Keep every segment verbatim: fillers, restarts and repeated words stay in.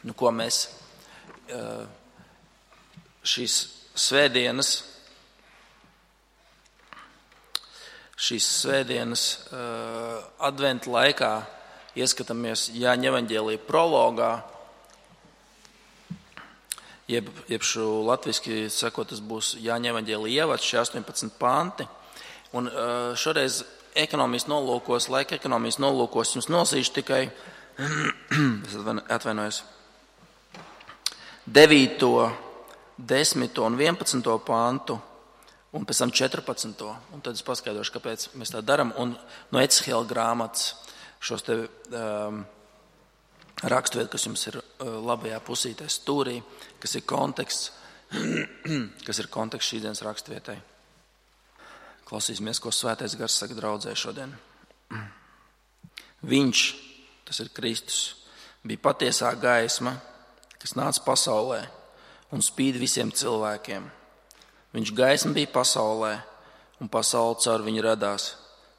nu, ko mēs šīs svētdienas, šīs svētdienas adventa laikā ieskatāmies Jāņa evaņģēlija prologā, jeb, jeb šo latviski sakot, tas būs Jāņa evaņģēlija ievads, šie astoņpadsmit panti. Un šoreiz ekonomijas nolūkos, laika ekonomijas nolūkos jums nosīšu tikai, es atvainojos, devīto, desmito un vienpadsmito pantu, un pēc tam četrpadsmito. Un tad es paskaidrošu, kāpēc mēs tā darām. Un no Ecehēla grāmatas šos te um, raksturvietu, kas jums ir uh, labajā pusītē stūrī, kas ir konteksts, kas ir konteksts šīs dienas raksturvietai. Klausīsimies, ko Svētais Gars saka draudzē šodien. Viņš, tas ir Kristus, bija patiesā gaisma, kas nāca pasaulē un spīd visiem cilvēkiem. Viņš gaisma bija pasaulē, un pasaule caur viņu radās,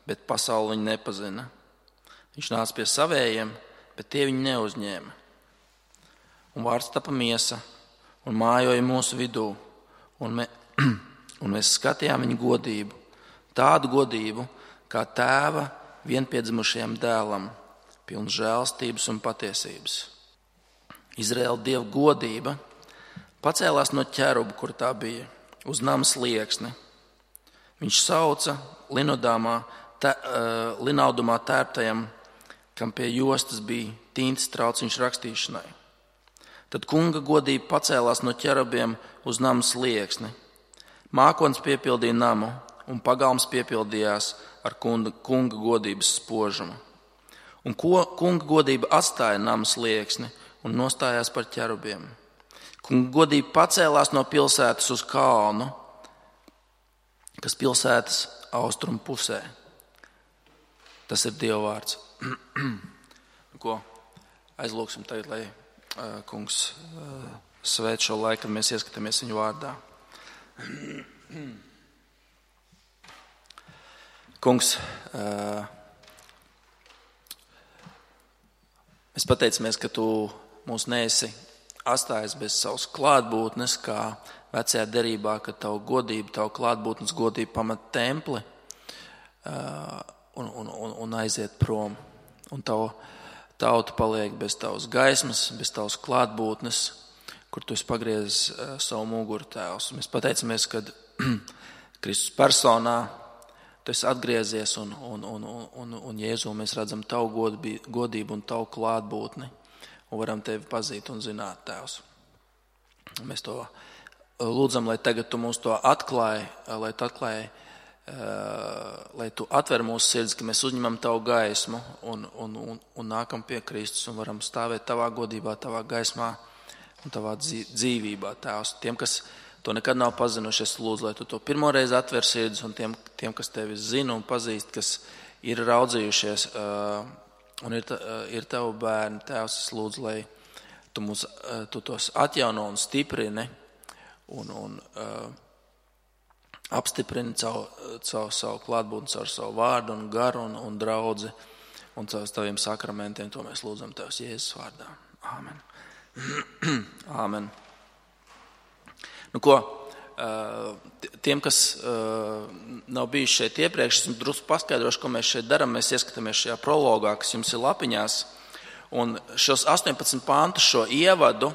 bet pasaule viņu nepazina. Viņš nāca pie savējiem, bet tie viņu neuzņēma. Un vārds tapa miesa un mājoja mūsu vidū, un, me, un mēs skatījām viņu godību, tādu godību, kā tēva vienpiedzimušajam dēlam, pilns žēlstības un patiesības. Izraēla Dieva godība pacēlās no ķeruba, kur tā bija, uz nama slieksni. Viņš sauca linodāmā, te, uh, linaudumā tērptajam, kam pie jostas bija tintas trauciņš rakstīšanai. Tad kunga godība pacēlās no ķerubiem uz nama slieksni. Mākonis piepildīja namu, un pagalms piepildījās ar kunga, kunga godības spožumu. Un ko, kunga godība atstāja nama slieksni un nostājās par ķerubiem. Kunga godība pacēlās no pilsētas uz kalnu, kas pilsētas austrumu pusē. Tas ir Dieva vārds. Ko aizlūksim tagad, lai uh, kungs uh, svēt šo laiku, kad mēs ieskatāmies viņu vārdā. Kungs, uh, mēs pateicamies, ka tu mūs neesi atstājis bez savas klātbūtnes, kā vecajā derībā, ka tavu godību, tavu klātbūtnes godību pamat templi uh, un, un, un, un aiziet prom. Un tavu tauta paliek bez tavas gaismas, bez tavas klātbūtnes, kur tu esi pagriezis uh, savu muguru, Tēvs. Mēs pateicamies, ka Kristus personā tu esi atgriezies un, un, un, un, un Jēzu mēs redzam tavu godību un tavu klātbūtni. Un varam tevi pazīt un zināt, Tēvs. Mēs to lūdzam, lai tagad tu mums to atklāji, lai tu atklāji, lai tu atver mūsu sirds, ka mēs uzņemam tavu gaismu un, un, un, un nākam pie Kristus un varam stāvēt tavā godībā, tavā gaismā un tavā dzīvībā, Tēvs. Tiem, kas to nekad nav pazinuši, es lūdzu, lai tu to pirmoreiz atver sirds un tiem, tiem kas tevi zina un pazīst, kas ir raudzījušies un ir, ir tavu bērni, Tēvs, es lūdzu, lai tu, mūs, tu tos atjauno un stiprini un, un uh, apstiprini caur, caur savu klātbūtni, caur savu vārdu un garu un, un draudzi un caur taviem sakramentiem. To mēs lūdzam Tevs Jēzus vārdā. Āmen. Āmen. Nu ko, tiem, kas nav bijuši šeit iepriekš, es drusku paskaidrošu, ko mēs šeit darām. Mēs ieskatāmies šajā prologā, kas jums ir lapiņās. Un šos astoņpadsmit pantus, šo ievadu,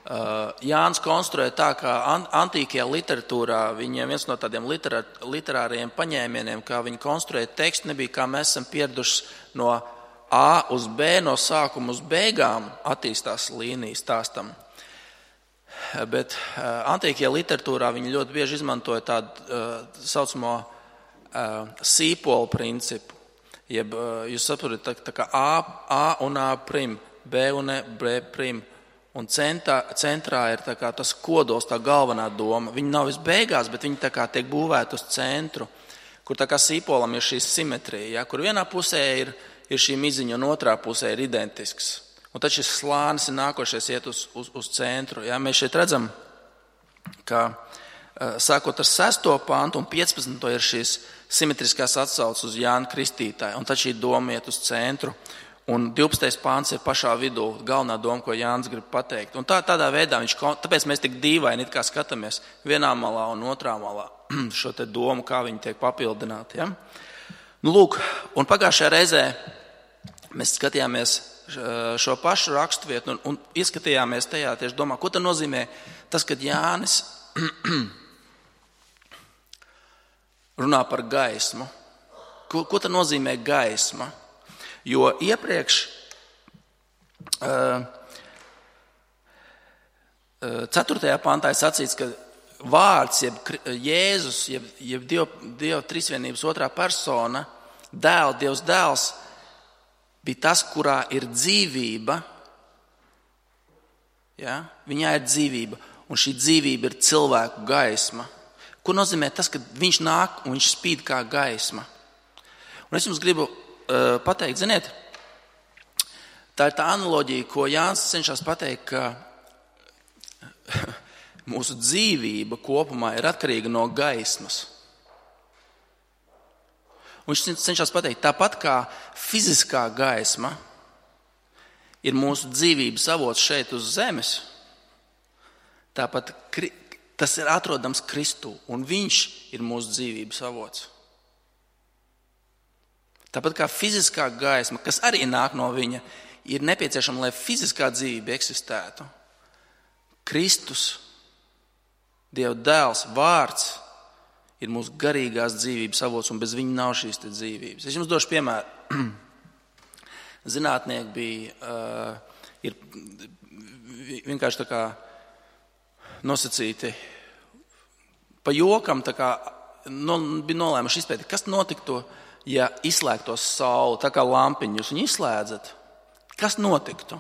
Jānis konstruē tā, kā antīkajā literatūrā viņiem viens no tādiem literā, literāriem paņēmieniem, kā viņi konstruē tekstu, nebija kā mēs esam pieraduši no A uz B, no sākuma uz beigām attīstās līnijas stāstam. Bet uh, antīkajā literatūrā viņi ļoti bieži izmantoja tādu uh, saucamo uh, sīpolu principu. Jeb, uh, jūs saprotat, tā, tā kā A, A un A prim, B un E, B prim. Un centrā, centrā ir tā kā tas kodols, tā galvenā doma. Viņi nav visbeigās, bet viņi tā kā tiek būvēti uz centru, kur tā kā sīpolam ir šī simetrija, ja, kur vienā pusē ir, ir šī miziņa un otrā pusē ir identisks. Un tad šis slānis ir nākošais iet uz, uz, uz centru. Ja. Mēs šeit redzam, ka sākot ar sesto pantu un piecpadsmito ir šīs simetriskās atsauces uz Jānu Kristītāju. Un tad šī doma iet uz centru. Un divpadsmitais pāns ir pašā vidū, galvenā doma, ko Jānis grib pateikt. Un tā, tādā veidā viņš, tāpēc mēs tik dīvaini it kā skatāmies vienā malā un otrā malā šo te domu, kā viņi tiek papildināti. Ja? Nu, lūk, un pagājušajā reizē mēs skatījāmies šo pašu raksturvietu un, un ieskatījāmies tajā tieši domā, ko tad nozīmē tas, kad Jānis runā par gaismu. Ko, ko tad nozīmē gaisma? Jo iepriekš ceturtajā pantā ir sacīts, ka vārds, jeb Jēzus, jeb, jeb Dieva, Dieva trīsvienības otrā persona, dēls, Dievs dēls, bija tas, kurā ir dzīvība. Ja? Viņā ir dzīvība, un šī dzīvība ir cilvēku gaisma. Ko nozīmē tas, ka viņš nāk un viņš spīd kā gaisma? Un es jums gribu uh, pateikt, ziniet, tā ir tā analoģija, ko Jānis cenšas pateikt, ka mūsu dzīvība kopumā ir atkarīga no gaismas. Un viņš cenšas pateikt, tāpat kā fiziskā gaisma ir mūsu dzīvības avots šeit uz zemes, tāpat tas ir atrodams Kristū, un viņš ir mūsu dzīvības avots. Tāpat kā fiziskā gaisma, kas arī nāk no viņa, ir nepieciešama, lai fiziskā dzīvība eksistētu. Kristus, Dieva dēls, vārds ir mūsu garīgās dzīvības avots, un bez viņa nav šīs te dzīvības. Es jums došu piemēru. Zinātnieki bija, uh, ir vienkārši tā kā nosacīti pa jokam, tā kā no, bija nolēmuši izpētīt, kas notiktu, ja izslēgtos saule, tā kā lampiņu jūs viņu izslēdzat. Kas notiktu,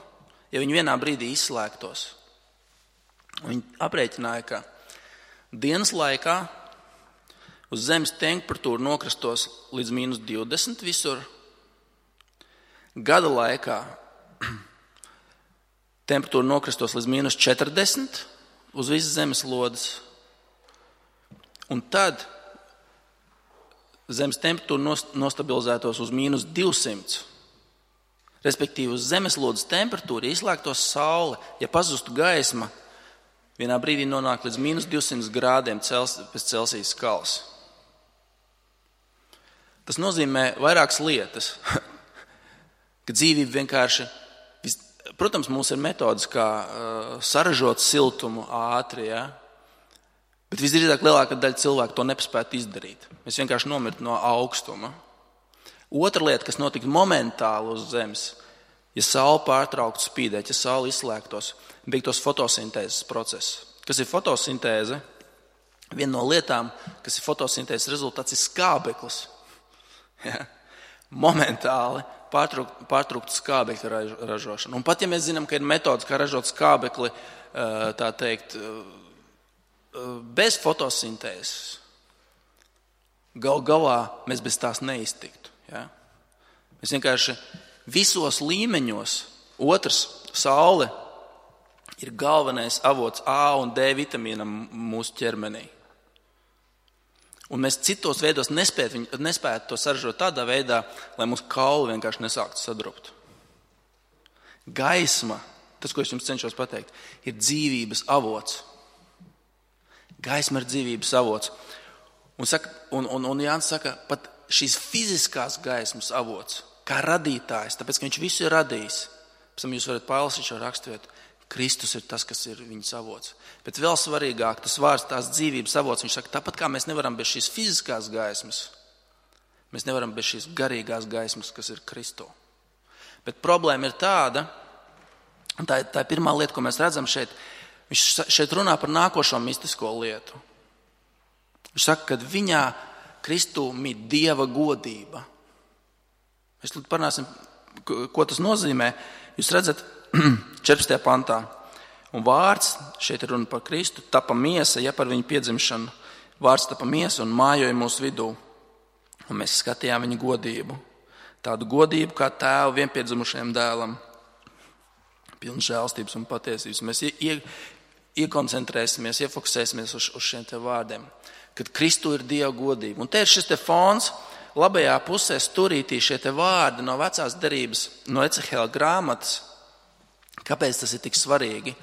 ja viņi vienā brīdī izslēgtos? Viņi aprēķināja, ka dienas laikā uz zemes temperatūra nokristos līdz mīnus divdesmit visur. Gada laikā temperatūra nokristos līdz mīnus četrdesmit uz visas zemes lodes. Un tad zemes temperatūra nostabilizētos uz mīnus divsimt. Respektīvi, uz zemeslodes temperatūra izslēgtos saule, ja pazustu gaisma, vienā brīdī nonāk līdz mīnus divsimt grādiem pēc Celsijas skalas. Tas nozīmē vairākas lietas, ka dzīvība vienkārši, protams, mums ir metodas, kā uh, saražot siltumu ātri, ja? Bet visdrīzāk lielākā daļa cilvēku to nepaspētu izdarīt. Mēs vienkārši nomirtu no augstuma. Otra lieta, kas notika momentāli uz zemes, ja saule pārtrauktu spīdēt, ja saule izslēgtos, beigtos fotosintēzes process. Kas ir fotosintēze? Viena no lietām, kas ir fotosintēzes rezultāts, ir skābeklis. Ja? Momentāli pārtraukt, pārtraukt skābekļa ražošanu. Un pat ja mēs zinām, ka ir metodas, kā ražot skābekli, tā teikt, bez fotosintēzes, gal galā mēs bez tās neiztiktu. Ja? Mēs vienkārši visos līmeņos, otrs, saule ir galvenais avots A un D vitamīnam mūsu ķermenī. Un mēs citos veidos nespētu, nespētu to saražot tādā veidā, lai mūsu kauli vienkārši nesāktu sadrupt. Gaisma, tas, ko es jums cenšos pateikt, ir dzīvības avots. Gaisma ir dzīvības avots. Un, saka, un, un, un Jānis saka, pat šīs fiziskās gaismas avots, kā radītājs, tāpēc, ka viņš visu ir radījis. Pēc tam jūs varat palasīt šo raksturvietu. Kristus ir tas, kas ir viņas avots. Bet vēl svarīgāk, tas vārds, tās dzīvības avots, viņš saka, tāpat kā mēs nevaram bez šīs fiziskās gaismas, mēs nevaram bez šīs garīgās gaismas, kas ir Kristu. Bet problēma ir tāda, un tā, tā ir pirmā lieta, ko mēs redzam šeit, viņš šeit runā par nākošo mistisko lietu. Viņš saka, ka viņā Kristū mīt Dieva godība. Mēs tad parunāsim, ko tas nozīmē. Jūs redzat, četrpadsmitajā pantā. Un vārds, šeit ir runa par Kristu, tapa miesa, ja par viņu piedzimšanu. Vārds tapa miesa un mājoja mūsu vidū. Un mēs skatījām viņa godību. Tādu godību kā tēvu vienpiedzimušajam dēlam. Pilns žēlstības un patiesības. Mēs ie, ie, iekoncentrēsimies, iefokusēsimies uz, uz šiem te vārdiem. Kad Kristu ir Dieva godība. Un te ir šis te fons, labajā pusē stūrītī šie te vārdi no vecās derības, no Ecehēla grāmatas. Kāpēc tas ir tik svarīgi?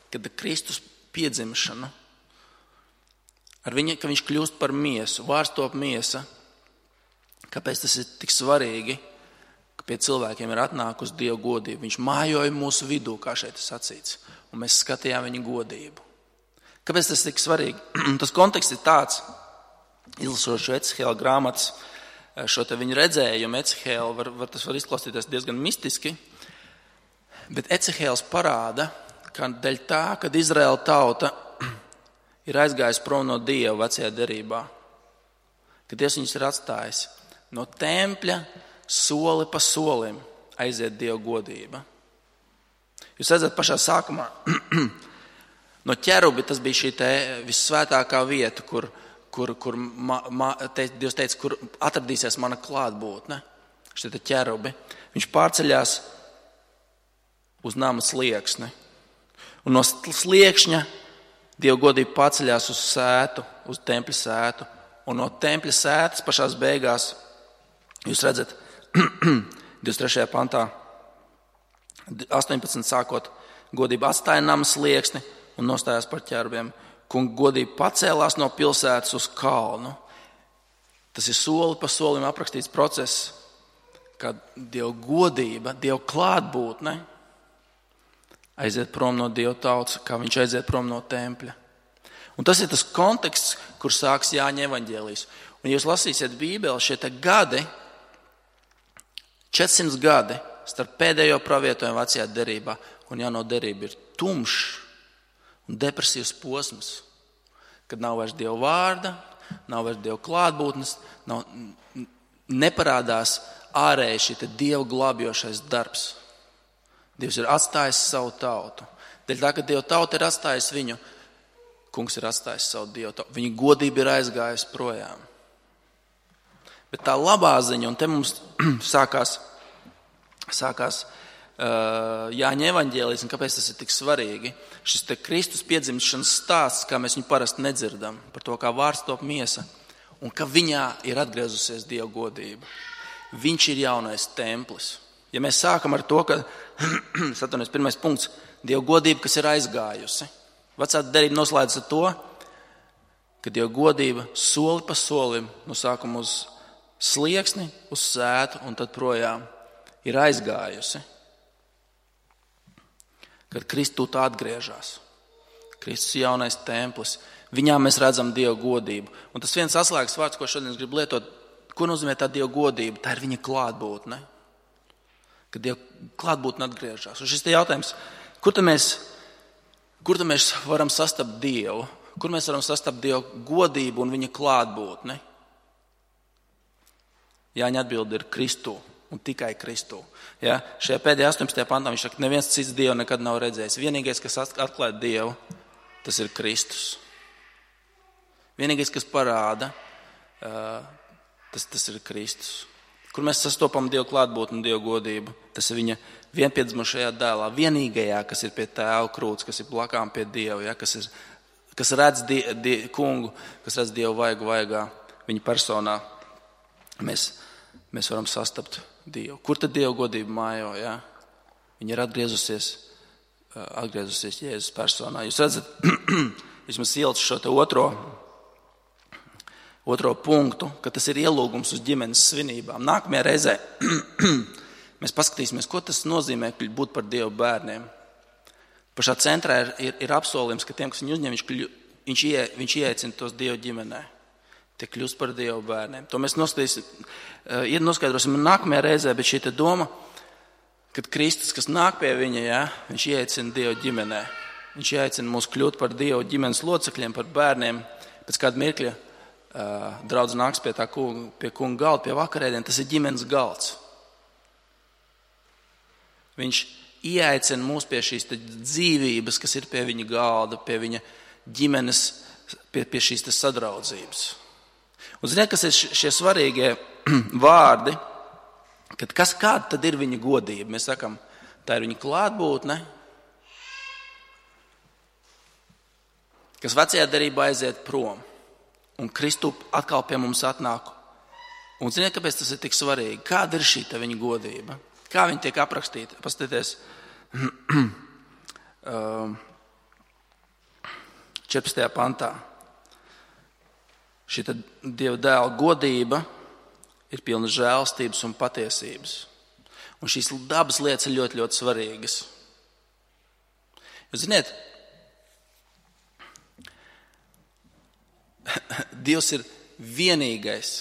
Kad Kristus piedzimšanu, ar viņa, ka viņš kļūst par miesu, vārds top miesa. Kāpēc tas ir tik svarīgi, ka pie cilvēkiem ir atnākusi Dieva godība? Viņš mājoja mūsu vidū, kā šeit ir sacīts, un mēs skatījām viņa godību. Kāpēc tas ir tik svarīgi? Tas konteksts ir tāds, izlasot šo Ecehēla grāmatas, šo te viņa redzējumu, Ecehēla, var, var, tas var izklausīties diezgan mistiski, bet Ecehēls parāda, ka dēļ tā, kad Izraēla tauta ir aizgājusi prom no Dieva vecajā derībā, kad Dievs viņus ir atstājis, no tempļa soli pa solim aiziet Dieva godība. Jūs redzat pašā sākumā, no ķerubi tas bija šī te vissvētākā vieta, kur, kur, kur ma, ma, te, Dievs teica, kur atradīsies mana klātbūtne, šie te ķerubi. Viņš pārceļās uz nama slieksni. Un no sliekšņa Dieva godība paceļās uz sētu, uz tempļa sētu. Un no tempļa sētas pašās beigās, jūs redzat, divdesmit trešajā pantā, astoņpadsmit sākot, godība atstāja nama slieksni un nostājās par ķerubiem. Kunga godība pacēlās no pilsētas uz kalnu. Tas ir soli pa solim aprakstīts process, kad Dieva godība, Dieva klātbūtne aiziet prom no Dieva tautas, kā viņš aiziet prom no tempļa. Un tas ir tas konteksts, kur sāks Jāņa evaņģēlijs. Un, ja jūs lasīsiet Bībeli, šie te gadi, četrsimt gadi starp pēdējo pravietojumu vecajā derībā un jauno derību ir tumšs un depresīvs posms, kad nav vairs Dieva vārda, nav vairs Dieva klātbūtnes, nav, neparādās ārēji šī te Dieva glābjošais darbs. Dievs ir atstājis savu tautu. Dēļ tā, ka Dieva tauta ir atstājis viņu, Kungs ir atstājis savu Dievu tautu. Viņa godība ir aizgājusi projām. Bet tā labā ziņa, un te mums sākās, sākās uh, Jāņa evaņģēlijs, un kāpēc tas ir tik svarīgi, šis te Kristus piedzimšanas stāsts, kā mēs viņu parasti nedzirdam, par to, kā vārds top miesa, un ka viņā ir atgriezusies Dieva godība. Viņš ir jaunais templis. Ja mēs sākam ar to, ka, satunies, pirmais punkts, Dieva godība, kas ir aizgājusi. Vecā derība noslēdz ar to, ka Dieva godība soli pa solim, no sākuma uz slieksni, uz sētu un tad projām ir aizgājusi. Kad Kristus atgriežas. Kristus ir jaunais templis. Viņā mēs redzam Dieva godību. Un tas viens atslēgas vārds, ko šodien es gribu lietot, ko nozīmē tā Dieva godība? Tā ir viņa klātbūtne. Kad Dieva klātbūtne atgriežas. Un šis te jautājums, kur tad mēs, kur tad mēs varam sastapt Dievu? Kur mēs varam sastapt Dieva godību un viņa klātbūtni? Jāņa atbilde ir Kristū un tikai Kristū. Ja? Šajā pēdējā astoņpadsmitajā pantā viņš saka, neviens cits Dievu nekad nav redzējis. Vienīgais, kas atklāja Dievu, tas ir Kristus. Vienīgais, kas parāda, tas, tas ir Kristus. Kur mēs sastopam Dieva klātbūtni un Dieva godību, tas ir viņa vienpiedzimušajā dēlā, vienīgajā, kas ir pie tēva krūts, kas ir blakām pie Dieva, ja? kas, ir, kas redz die, die, kungu, kas redz Dievu vaigu vaigā, viņa personā. Mēs, mēs varam sastapt Dievu. Kur tad Dieva godība mājo? Ja? Viņa ir atgriezusies, atgriezusies Jēzus personā. Jūs redzat, vismaz ielic šo te otro, otro punktu, ka tas ir ielūgums uz ģimenes svinībām. Nākamajā reizē mēs paskatīsimies, ko tas nozīmē būt par Dieva bērniem. Pašā centrā ir, ir, ir apsolījums, ka tiem, kas viņu uzņem, viņš, kļu, viņš, ie, viņš ieaicina tos Dieva ģimenē. Tie kļūst par Dieva bērniem. To mēs noskaidrosim nākamajā reizē, bet šī te doma, kad Kristus, kas nāk pie viņa, ja, viņš ieaicina Dieva ģimenē. Viņš ieaicina mūs kļūt par Dieva ģimenes locekļiem, par bērniem. Pēc kāda mirkļa Uh, draudz nāks pie tā kunga, pie kunga galda, pie vakarēdien, tas ir ģimenes galds. Viņš ieaicina mūs pie šīs dzīvības, kas ir pie viņa galda, pie viņa ģimenes, pie, pie šīs sadraudzības. Un ziniet, kas ir šie svarīgie vārdi, kad kas kāda tad ir viņa godība? Mēs sakam, tā ir viņa klātbūtne, kas vecajā derībā aiziet prom. Un Kristu atkal pie mums atnāk Un ziniet, kāpēc tas ir tik svarīgi? Kāda ir šī viņa godība? Kā viņa tiek aprakstīta? Paskatieties, četrpadsmitajā pantā. Šī Dieva dēla godība ir pilna žēlstības un patiesības. Un šīs dabas lietas ir ļoti, ļoti svarīgas. Jūs ziniet, Dievs ir vienīgais,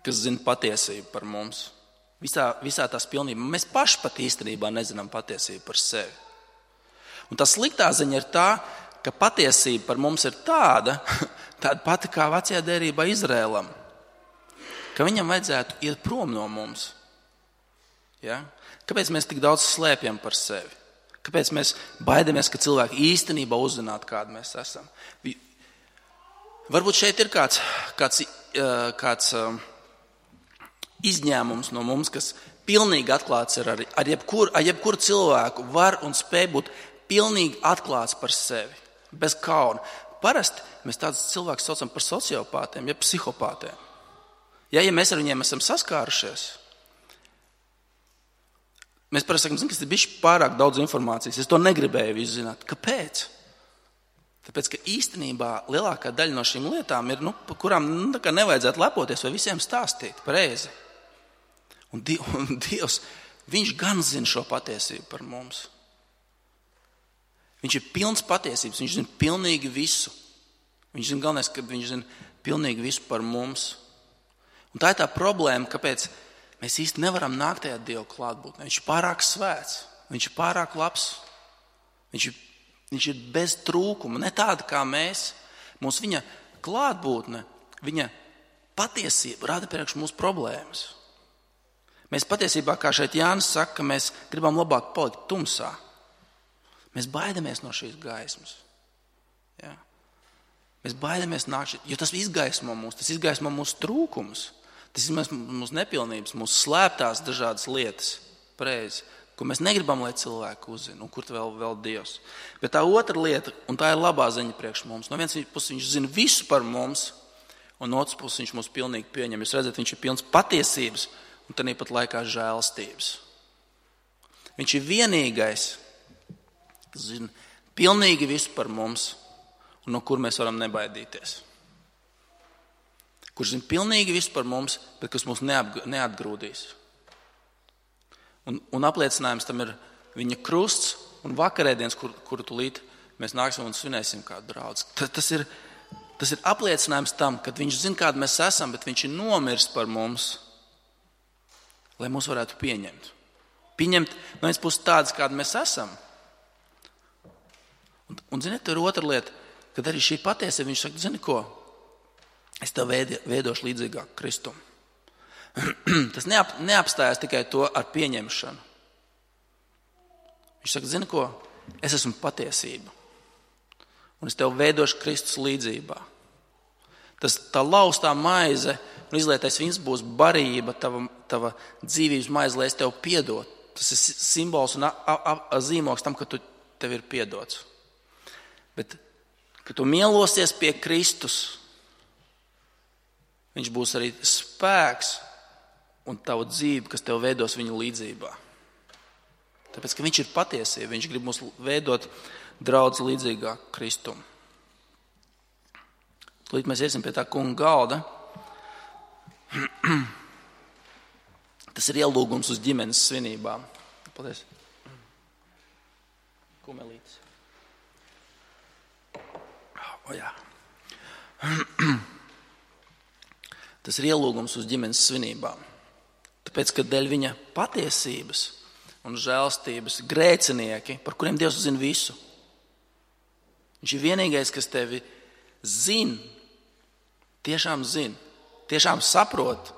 kas zina patiesību par mums. Visā, visā tās pilnībā. Mēs paši pat īstenībā nezinām patiesību par sevi. Un tā sliktā ziņa ir tā, ka patiesība par mums ir tāda, tāda pati kā vecajā derībā Izrēlam, ka viņam vajadzētu iet prom no mums. Ja? Kāpēc mēs tik daudz slēpjam par sevi? Kāpēc mēs baidamies, ka cilvēki īstenībā uzzinātu, kādi mēs esam? Varbūt šeit ir kāds, kāds, kāds izņēmums no mums, kas pilnīgi atklāts ir ar, ar jebkuru ar jebkur cilvēku, var un spēj būt pilnīgi atklāts par sevi, bez kauna. Parasti mēs tādus cilvēkus saucam par sociopātiem, ja psihopātiem. Ja, ja mēs ar viņiem esam saskārušies, mēs parasti sakam, ka tas ir bijis pārāk daudz informācijas. Es to negribēju visu zināt. Kāpēc? Tāpēc, ka īstenībā lielākā daļa no šīm lietām ir, nu, par kurām nu, nevajadzētu lepoties vai visiem stāstīt pareizi. Un, Dievs, un Dievs, viņš gan zina šo patiesību par mums. Viņš ir pilns patiesības, viņš zina pilnīgi visu. Viņš zina galvenais, ka viņš zina pilnīgi visu par mums. Un tā ir tā problēma, kāpēc mēs īsti nevaram nākt tajā Dieva klātbūtnē. Viņš ir pārāk svēts, viņš ir pārāk labs, viņš ir Viņš ir bez trūkuma, ne tāda kā mēs. Mums viņa klātbūtne, viņa patiesība rada priekš mūsu problēmas. Mēs patiesībā, kā šeit Jānis saka, ka mēs gribam labāk palikt tumsā. Mēs baidamies no šīs gaismas. Ja? Mēs baidamies nākt šeit, jo tas izgaismo mūs, tas izgaismo mūsu trūkumus. Tas izgaismo mūsu nepilnības, mūsu slēptās dažādas lietas. Pareizi. Ko mēs negribam, lai cilvēki uzzina, un kur vēl, vēl Dievs. Bet tā otra lieta, un tā ir labā ziņa priekš mums. No vienas puses viņš zina visu par mums, un no otras puses viņš mūs pilnīgi pieņem. Jūs redzat, viņš ir pilns patiesības, un tad pat laikā žēlstības. Viņš ir vienīgais, kas zina pilnīgi visu par mums, un no kur mēs varam nebaidīties. Kurš zina pilnīgi visu par mums, bet kas mūs neatgrūdīs. Un, un apliecinājums tam ir viņa krusts un vakarēdienas, kur, kuru tūlīt mēs nāksim un svinēsim kādu draudzi. Tas ir, tas ir apliecinājums tam, ka viņš zina, kādi mēs esam, bet viņš ir nomiris par mums, lai mūs varētu pieņemt. Pieņemt no vienas puses tādas, kādi mēs esam. Un, un ziniet, tur ir otra lieta, kad arī šī patiesība, viņš saka, zini ko, es tev veidošu līdzīgāk Kristum. Tas neap, neapstājās tikai to ar pieņemšanu. Viņš saka, zini ko, es esmu patiesība. Un es tev veidošu Kristus līdzībā. Tas tā laustā maize un izlietais vīns būs barība, tava, tava dzīvības maize, lai es tev piedot. Tas ir simbols un a, a, a, zīmoks tam, ka tu tev ir piedots. Bet, kad tu mielosies pie Kristus, viņš būs arī spēks un tavu dzīvi, kas tev veidos viņu līdzībā. Tāpēc, ka viņš ir patiesība, viņš grib mūs veidot draudz līdzīgāk Kristum. Tūlīt mēs iesim pie tā kunga galda. Tas ir ielūgums uz ģimenes svinībām. Paldies. Kumelītis. O jā. Tas ir ielūgums uz ģimenes svinībām. Tāpēc, ka dēļ viņa patiesības un žēlstības grēcinieki, par kuriem Dievs zina visu. Viņš ir vienīgais, kas tevi zina, tiešām zina, tiešām saprot,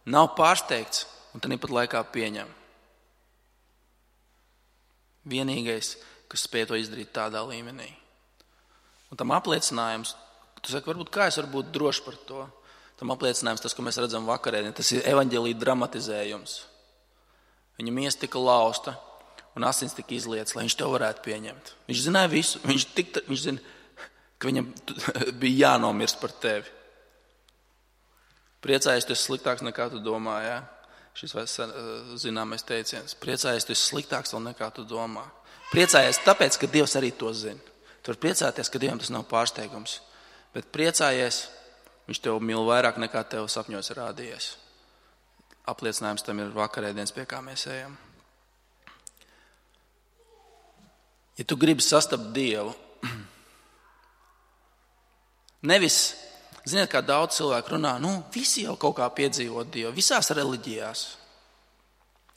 nav pārsteigts un tad pat laikā pieņem. Vienīgais, kas spēj to izdarīt tādā līmenī. Un tam apliecinājums, tu saki, varbūt kā es varu būt droši par to? Tam apliecinājums tas, ko mēs redzam vakarēdien, tas ir evaņģēlija dramatizējums. Viņa miesa tika lausta un asins tika izlietas, lai viņš to varētu pieņemt. Viņš zināja visu, viņš, tik, viņš zina, ka viņam bija jānomirst par tevi. Priecājies, tu esi sliktāks nekā tu domā, jā? Šis vai zināmais teiciens. Priecājies, tu esi sliktāks vēl nekā tu domā. Priecājies tāpēc, ka Dievs arī to zina. Tu vari priecāties, ka Dievam tas nav pārsteigums. Bet priecājies, viņš tev mīl vairāk nekā tev sapņos rādījies. Apliecinājums tam ir vakarēdienas, pie kā mēs ejam. Ja tu gribi sastapt Dievu, nevis, ziniet, kā daudz cilvēku runā, nu, visi jau kaut kā piedzīvot Dievu, visās reliģijās.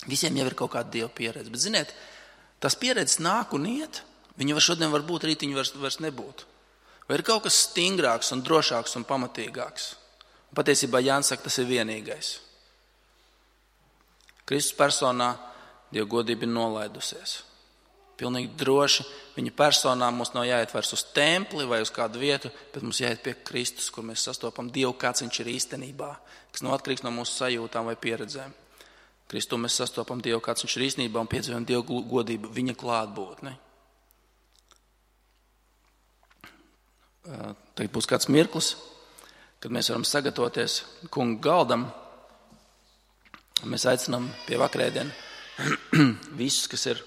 Visiem jau ir kaut kāda Dieva pieredze. Bet, ziniet, tas pieredzes nāk un iet, viņi var šodien var būt, rīt viņi vairs, vairs nebūt. Vai ir kaut kas stingrāks un drošāks un pamatīgāks? Un patiesībā Jānis saka, tas ir vienīgais. Kristus personā Dieva godība ir nolaidusies. Pilnīgi droši viņa personā mums nav jāiet vairs uz templi vai uz kādu vietu, bet mums jāiet pie Kristus, kur mēs sastopam Dievu, kāds viņš ir īstenībā, kas nav atkarīgs no mūsu sajūtām vai pieredzēm. Kristu mēs sastopam Dievu, kāds viņš ir īstenībā un piedzīvojam Dievu godību, viņa klātbūtni. Tagad būs kāds mirklis, kad mēs varam sagatavoties kunga galdam. Mēs aicinām pie vakarēdienu visus, kas ir,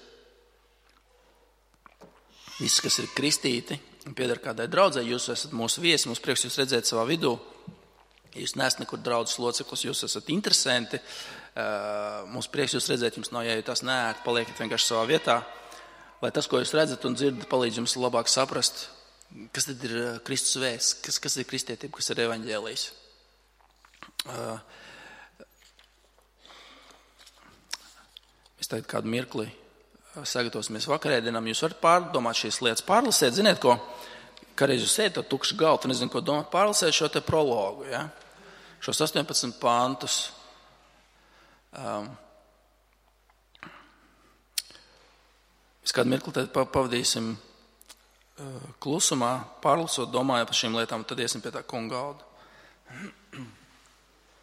visus, kas ir kristīti un pieder kādai draudzei. Jūs esat mūsu viesi, mums prieks jūs redzēt savā vidū. Jūs neesat nekur draudzes loceklis, jūs esat interesanti. Mums prieks jūs redzēt, jums nav jājūtās neērti, paliekat vienkārši savā vietā. Lai tas, ko jūs redzat un dzirdat, palīdz jums labāk saprast, kas tad ir Kristus vēsts, kas, kas ir kristietība, kas ir evaņģēlijs. Uh, mēs tagad kādu mirkli sagatavosimies vakarēdienam. Jūs varat pārdomāt šīs lietas, pārlasēt, ziniet, ko, kādreiz jūs sēdat to tukšu galtu, nezinu, ko domāt, pārlasēt šo te prologu, ja? Šos astoņpadsmit pantus. Um, mēs kādu mirkli tad pavadīsim klusumā, pārlasot, domājot par šīm lietām, tad iesim pie tā kunga galda.